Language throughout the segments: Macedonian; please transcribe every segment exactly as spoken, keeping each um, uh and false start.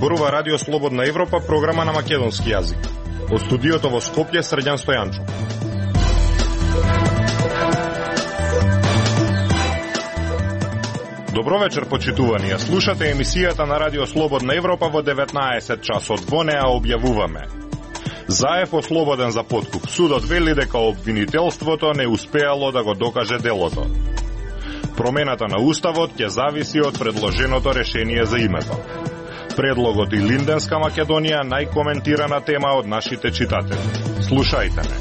зборува Радио Слободна Европа, програма на македонски јазик. Од студиото во Скопје, Срđan Стојанчо. Добро вечер, почитувани. Слушате емисијата на Радио Слободна Европа во деветнаесет часот. Во неа објавуваме: Заев ослободен за подкуп. Судот вели дека обвинителството не успеало да го докаже делото. Промената на уставот ќе зависи од предложеното решение за името. Предлогот и Линденска Македонија, најкоментирана тема од нашите читатели. Слушајте не.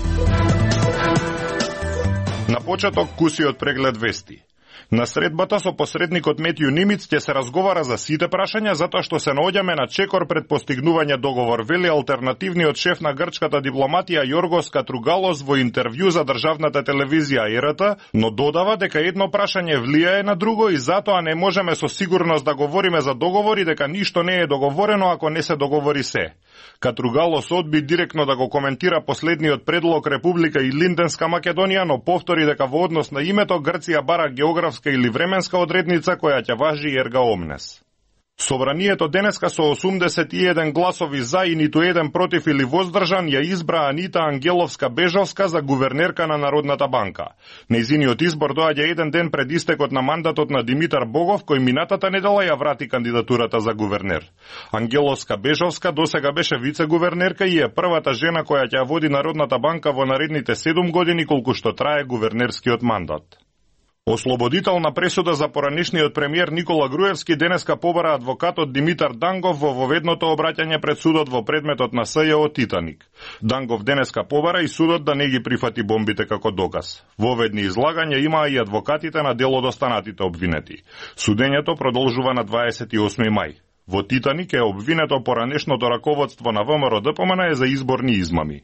На почеток куси од преглед вести. На средбата со посредникот Метју Нимиц ќе се разговара за сите прашања, затоа што се наоѓаме на чекор пред постигнување договор, вели алтернативниот шеф на грчката дипломатија Јоргос Катругалос во интервју за државната телевизија Е Р Т, но додава дека едно прашање влијае на друго и затоа не можеме со сигурност да говориме за договори, дека ништо не е договорено ако не се договори се. Катругалос одби директно да го коментира последниот предлог Република и Линденска Македонија, но повтори дека во однос на името Грција бара географска или временска одредница која ќе важи ерга омнес. Собранието денеска со осумдесет и еден гласови за и ниту еден против или воздржан ја избра Анита Ангеловска-Бежовска за гувернерка на Народната банка. Нејзиниот избор доаѓа еден ден пред истекот на мандатот на Димитар Богов, кој минатата недела ја врати кандидатурата за гувернер. Ангеловска-Бежовска досега беше вице-гувернерка и е првата жена која ќе води Народната банка во наредните седум години колку што трае гувернерскиот мандат. Ослободителна пресуда за поранешниот премиер Никола Груевски денеска побара адвокатот Димитар Дангов во воведното обраќање пред судот во предметот на С Ј О Титаник. Дангов денеска побара и судот да не ги прифати бомбите како доказ. Воведни излагања имаа и адвокатите на делодостанатите обвинети. Судењето продолжува на дваесет и осми мај. Во Титаник е обвинето поранешното раководство на В М Р Д П М Н за изборни измами.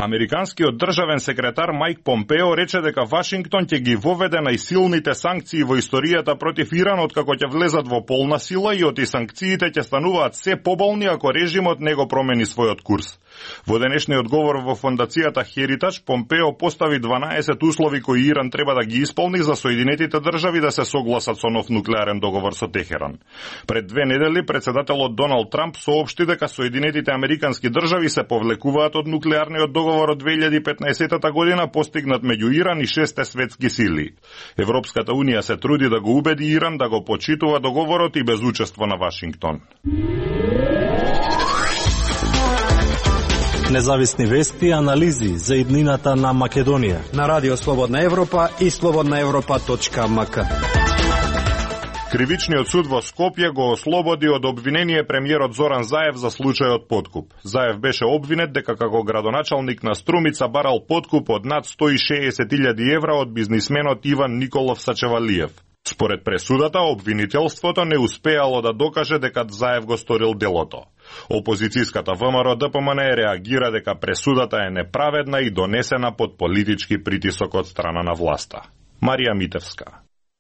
Американскиот државен секретар Мајк Помпео рече дека Вашингтон ќе ги воведе најсилните санкции во историјата против Иран откако ќе влезат во полна сила и оти санкциите ќе стануваат се поболни ако режимот не го промени својот курс. Во денешниот говор во фондацијата Heritage, Помпео постави дванаесет услови кои Иран треба да ги исполни за Соединетите држави да се согласат со нов нуклеарен договор со Техеран. Пред две недели председателот Доналд Трамп соопшти дека Соединетите американски држави се повлекуваат од нуклеарниот договор од две илјади и петнаесета година постигнат меѓу Иран и шесте светски сили. Европската унија се труди да го убеди Иран да го почитува договорот и без учество на Вашингтон. Независни вести и анализи за иднината на Македонија на Радио Слободна Европа и слободна европа точка м к. Кривичниот суд во Скопје го ослободи од обвинение премиерот Зоран Заев за случајот подкуп. Заев беше обвинет дека како градоначалник на Струмица барал подкуп од над сто и шеесет илјади евра од бизнисменот Иван Николов Сачевалиев. Според пресудата, обвинителството не успеало да докаже дека Заев го сторил делото. Опозицијската В М Р Д П М Н реагира дека пресудата е неправедна и донесена под политички притисок од страна на власта. Марија Митевска.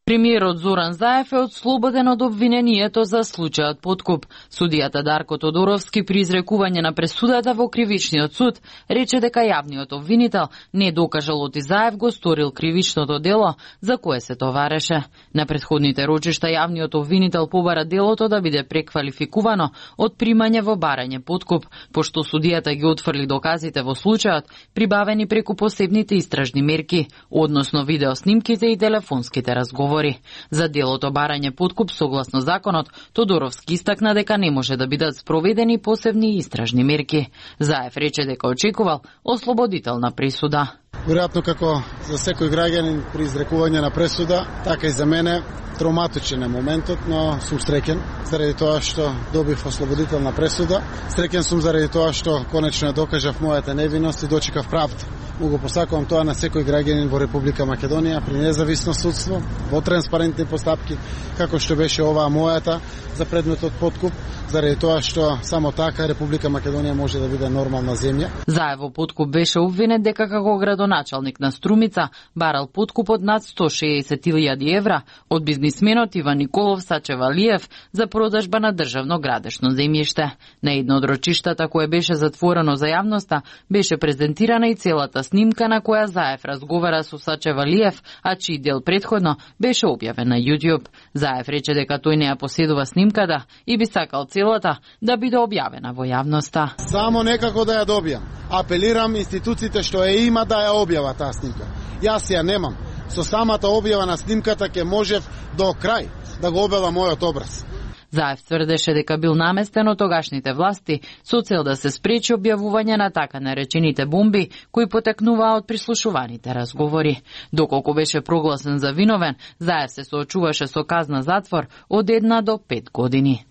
Премиерот Зоран Заев е отслободен од обвинението за случајот подкуп. Судијата Дарко Тодоровски при изрекување на пресудата во кривичниот суд рече дека јавниот обвинител не докажал оти Заев го сторил кривичното дело за кое се товареше. На претходните рочишта јавниот обвинител побара делото да биде преквалификувано од примање во барање подкуп, пошто судијата ги отфрли доказите во случајот прибавени преку посебните истражни мерки, односно видеоснимките и телефонските разговори. За делото барање подкуп согласно законот, Тодоровски истакна дека не може да бидат спроведени посебни истражни мерки. Заев рече дека очекувал ослободителна присуда. Веројатно како за секој граѓанин при изрекување на пресуда, така и за мене травматичен е моментот, но сум среќен заради тоа што добив ослободителна пресуда. Среќен сум заради тоа што конечно ја докажав мојата невиност и дочекав правда. Му го посакувам тоа на секој граѓанин во Република Македонија при независно судство, во транспарентни постапки, како што беше оваа мојата за предметот подкуп, заради тоа што само така Република Македонија може да биде нормална земја. Заев во подкуп беше обвинет дека како градоначалник на Струмица барал подкуп од над сто и шеесет илјади евра од бизнисменот Иван Николов Сачевалиев за продажба на државно градешно земјиште. На едно од рочиштата кое беше затворено за јавноста беше презентирана и целата снимка на која Заев разговара со Сачевалиев, а чиј дел предходно беше објавен на YouTube. Заев рече дека тој не ја поседува снимката и би сакал целата да биде објавена во јавноста. Само некако да ја добијам. Апелирам институциите што ја има да ја објава таа снимка. Јас ја немам. Со самата објава на снимката ќе можев до крај да го објава мојот образ. Заев тврдеше дека бил наместен од тогашните власти со цел да се спречи објавување на така наречените бомби кои потекнуваа од прислушуваните разговори. Доколку беше прогласен за виновен, Заев се соочуваше со казна затвор од една до пет години.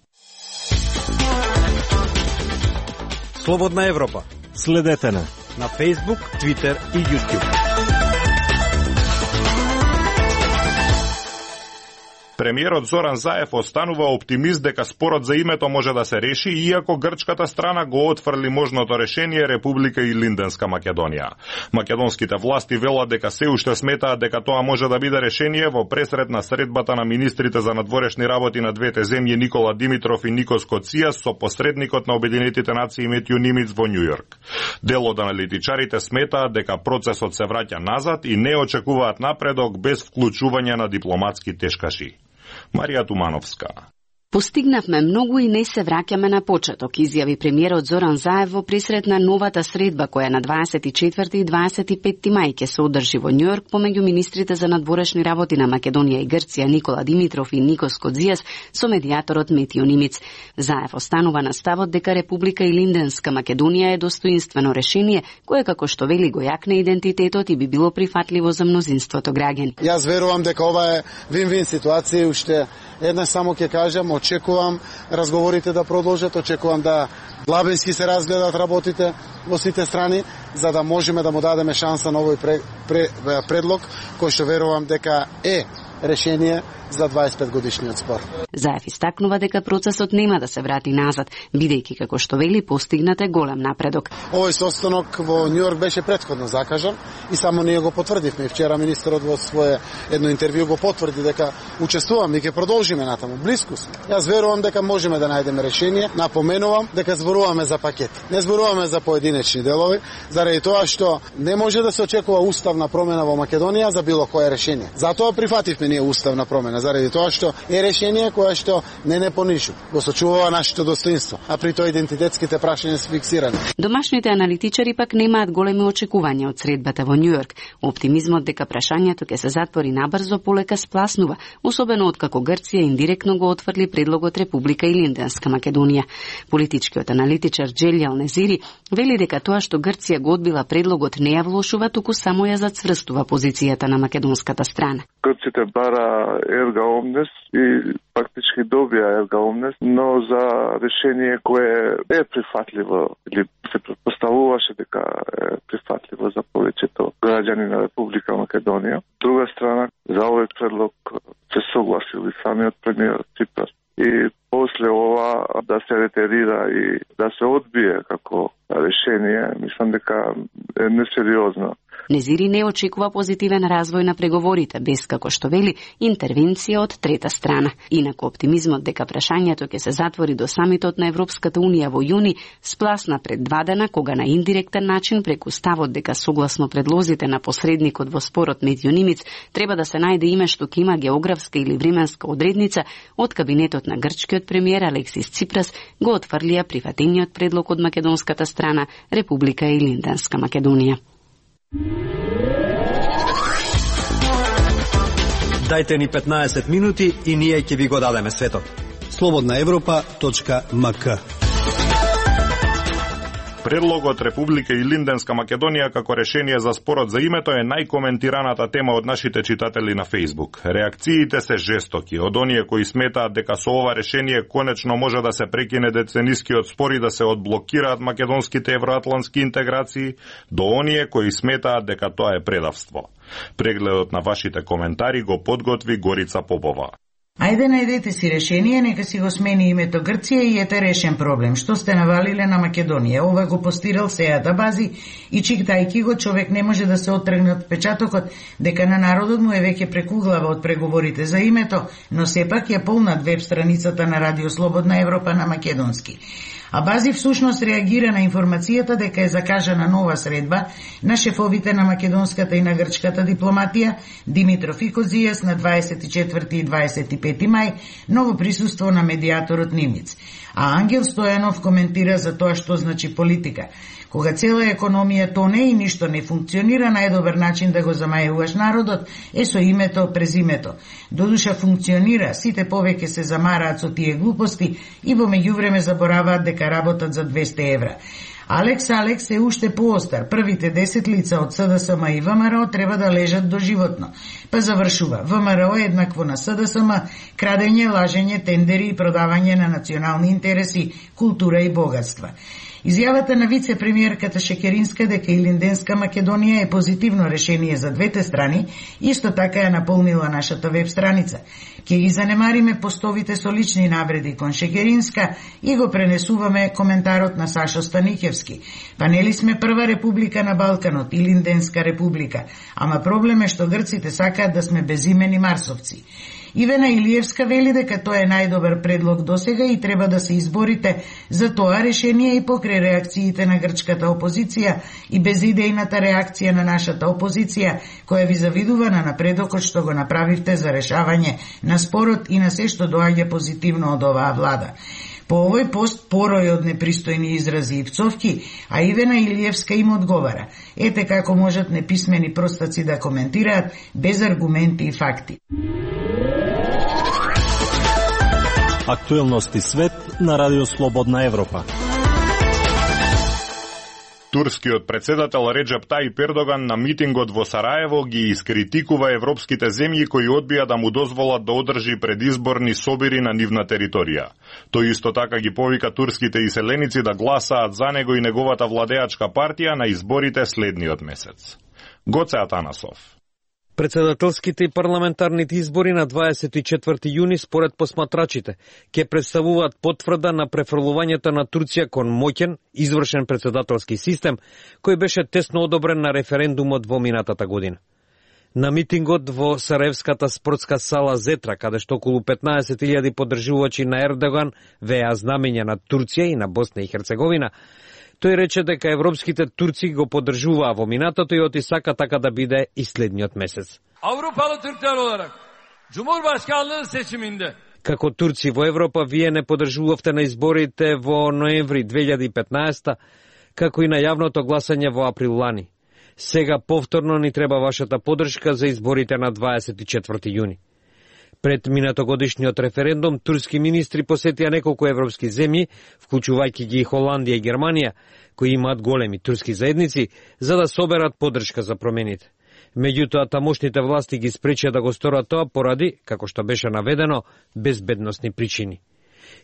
Слободна Европа. Следете на на Facebook, Twitter и YouTube. Премиерот Зоран Заев останува оптимист дека спорот за името може да се реши, иако грчката страна го отфрли можното решение Република Илинденска Македонија. Македонските власти велат дека се уште сметаат дека тоа може да биде решение во пресред на средбата на министрите за надворешни работи на двете земји Никола Димитров и Никос Коцијас со посредникот на Обединетите нации Метју Нимиц во Њујорк. Дел од аналитичарите сметаат дека процесот се враќа назад и не очекуваат напредок без вклучување на дипломатски тешкаши. Марија Тумановска. Постигнавме многу и не се враќаме на почеток, изјави премиерот Зоран Заев во пресред на новата средба која на дваесет и четврти и дваесет и петти мај ќе се одржи во Њујорк помеѓу министрите за надворешни работи на Македонија и Грција Никола Димитров и Никос Коцијас со медијаторот Метју Нимиц. Заев останува на ставот дека Република Илинденска Македонија е достоинствено решение кое, како што вели, го јакне идентитетот и би било прифатливо за мнозинството граѓани. Јас верувам дека ова е вин-вин ситуација и уште еднаш само ќе кажам, очекувам разговорите да продолжат, очекувам да длабински се разгледат работите во сите страни, за да можеме да му дадеме шанса на овој пре, пре, предлог, кој што верувам дека е решение за дваесет и пет годишниот спор. Заев истакнува дека процесот нема да се врати назад, бидејќи, како што вели, постигнат е голем напредок. Овој состанок во Њујорк беше претходно закажан и само ние го потврдивме. Вчера министерот во свое едно интервју го потврди дека учествуваме и ќе продолжиме натаму. Блиску сме. Јас верувам дека можеме да најдеме решение. Напоменувам дека зборуваме за пакет. Не зборуваме за поединечни делови, заради тоа што не може да се очекува уставна промена во Македонија за било кое решение. Затоа прифативме ние уставна промена, заради тоа што е решение кое што не не понижува, го сочувува нашето достоинство, а при тоа идентитетските прашања се фиксирани. Домашните аналитичари пак немаат големи очекувања од средбата во Њујорк. Оптимизмот дека прашањето ќе се затвори набрзо полека спласнува, особено откако Грција индиректно го отфрли предлогот Република Илинденска Македонија. Политичкиот аналитичар Джелјал Незири вели дека тоа што Грција го одбила предлогот не ја влошува, туку само ја зацврстува позицијата на македонската страна. Грците бара ерга омнес и фактички добија ерга омнес, но за решение кое е прифатливо или се предпоставуваше дека е прифатливо за повеќето граѓани на Република Македонија. Друга страна, за овој предлог се согласил и самиот премиер Ципрас. И после ова да се ретерира и да се одбие како решение, мислам дека е несериозно. Незири не очекува позитивен развој на преговорите, без, како што вели, интервенција од трета страна. Инаку оптимизмот дека прашањето ќе се затвори до самитот на Европската Унија во јуни спласна пред два дена, кога на индиректен начин преку ставот дека согласно предлозите на посредникот во спорот Метју Нимиц треба да се најде име што ќе има географска или временска одредница, од кабинетот на грчкиот премиер Алексис Ципрас го отфрлија прифатениот предлог од македонската страна Република Илинденска Македонија. Дајте ни петнаесет минути и ние ќе ви го дадеме светот. слободна европа точка ем ка. Предлогот Република Илинденска Македонија како решение за спорот за името е најкоментираната тема од нашите читатели на Facebook. Реакциите се жестоки, од оние кои сметаат дека со ова решение конечно може да се прекине деценискиот спор и да се одблокираат македонските евроатлантски интеграции, до оние кои сметаат дека тоа е предавство. Прегледот на вашите коментари го подготви Горица Попова. Ајде најдете си решение, нека си го смени името Грција и ете решен проблем. Што сте навалиле на Македонија? Ова го постирал сејата бази и читајќи го, човек не може да се оттргне од печатокот дека на народот му е веќе прекуглава од преговорите за името, но сепак ја полнат веб страницата на Радио Слободна Европа на македонски. А Бази всушност реагира на информацијата дека е закажана нова средба на шефовите на македонската и на грчката дипломатија Димитров и Козијас на дваесет и четврти и дваесет и пети мај, ново присуство на медијаторот Нимниц. А Ангел Стојанов коментира за тоа што значи политика. Кога цела економија тоне и ништо не функционира, најдобар начин да го замајуваш народот е со името през името. Додуша функционира, сите повеќе се замараат со тие глупости и во меѓувреме забораваат дека работат за двесте евра. Алекс Алекс е уште поостар. Првите десет лица од СДСМ и ВМРО треба да лежат доживотно. Па завршува. ВМРО еднакво на СДСМ, крадење, лажење, тендери и продавање на национални интереси, култура и богатства. Изјавата на вице-премиерката Шекеринска дека Илинденска Македонија е позитивно решение за двете страни, исто така ја наполнила нашата веб страница. Ке ги занемариме постовите со лични навреди кон Шекеринска и го пренесуваме коментарот на Сашо Станикевски. Па нели сме прва република на Балканот, Илинденска република, ама проблем е што грците сакаат да сме безимени марсовци. Ивена Илиевска вели дека тоа е најдобар предлог досега и треба да се изборите за тоа решение и покрај реакциите на грчката опозиција и безидејната реакција на нашата опозиција, која ви завидува на напредокот што го направивте за решавање на спорот и на се што доаѓа позитивно од оваа влада. По овој пост порој од непристојни изрази и пцовки, а Ивена Илиевска им одговара. Ете како можат неписмени простаци да коментираат без аргументи и факти. Актуелности свет на Радио Слободна Европа. Турскиот председател Реджеп Тајип Ердоган на митингот во Сараево ги искритикува европските земји кои одбија да му дозволат да одржи предизборни собири на нивна територија. Тој исто така ги повика турските иселеници да гласаат за него и неговата владеачка партија на изборите следниот месец. Гоце Атанасов. Председателските и парламентарните избори на дваесет и четврти јуни според посматрачите ќе представуваат потврда на префрлувањето на Турција кон моќен, извршен председателски систем кој беше тесно одобрен на референдумот во минатата година. На митингот во Сараевската спортска сала Зетра, каде што околу петнаесет илјади поддржувачи на Ердоган веа знамења на Турција и на Босна и Херцеговина, тој рече дека европските турци го поддржуваа во минатото и оти сака така да биде и следниот месец. Авропалы Türkler olarak Cumhurbaşkanlığı seçiminde Како турци во Европа, вие не поддржувавте на изборите во ноември две илјади и петнаесета, како и на јавното гласање во април лани. Сега повторно ни треба вашата поддршка за изборите на дваесет и четврти јуни. Пред минатогодишниот референдум, турски министри посетија неколку европски земји, вклучувајќи ги Холандија и Германија, кои имаат големи турски заедници, за да соберат поддршка за промените. Меѓутоа, тамошните власти ги спречија да го сторат тоа поради, како што беше наведено, безбедносни причини.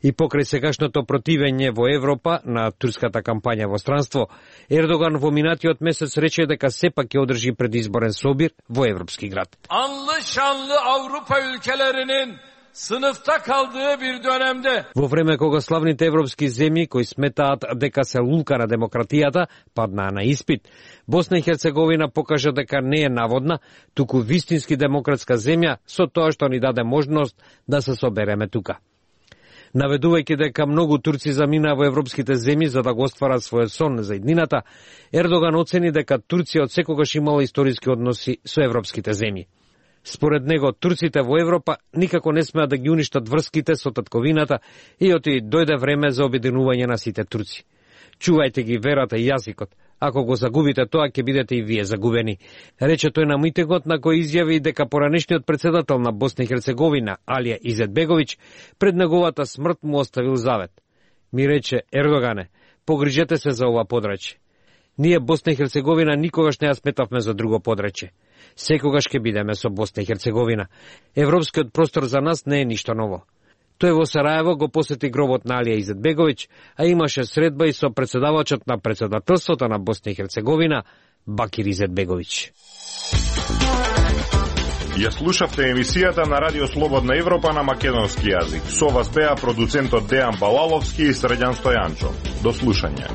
И покрај сегашното противење во Европа на турската кампања во странство, Ердоган во минатиот месец рече дека сепак ќе одржи предизборен собир во европски град. Anlı şanlı Avrupa ülkelerinin sınıfta kaldığı bir dönemde Во време кога славните европски земји кои сметаат дека се лулка на демократијата паднаа на испит, Босна и Херцеговина покажа дека не е наводна, туку вистински демократска земја со тоа што ни даде можност да се собереме тука. Наведувајќи дека многу турци заминаа во европските земји за да го остварат својот сон за иднината, Ердоган оцени дека Турција од секогаш имала историски односи со европските земји. Според него, турците во Европа никако не смеат да ги уништат врските со татковината и оти дојде време за обединување на сите турци. Чувајте ги верата и јазикот. Ако го загубите тоа, ќе бидете и вие загубени. Рече тој на митингот, на кој изјави дека поранешниот председател на Босна и Херцеговина, Алија Изетбеговиќ, пред неговата смрт му оставил завет. Ми рече: Ердогане, погрижете се за ова подрачје. Ние Босна и Херцеговина никогаш не ја сметавме за друго подрачје. Секогаш ќе бидеме со Босна и Херцеговина. Европскиот простор за нас не е ништо ново. Тој во Сараево го посети гробот на Алија Изетбеговиќ, а имаше средба и со председавачот на председателството на Босна и Херцеговина, Бакир Изетбеговиќ. Ја слушавте емисијата на Радио Слободна Европа на македонски јазик. Со вас беа продуцентот Дејан Балаловски и Срđan Стојанчо. До слушање.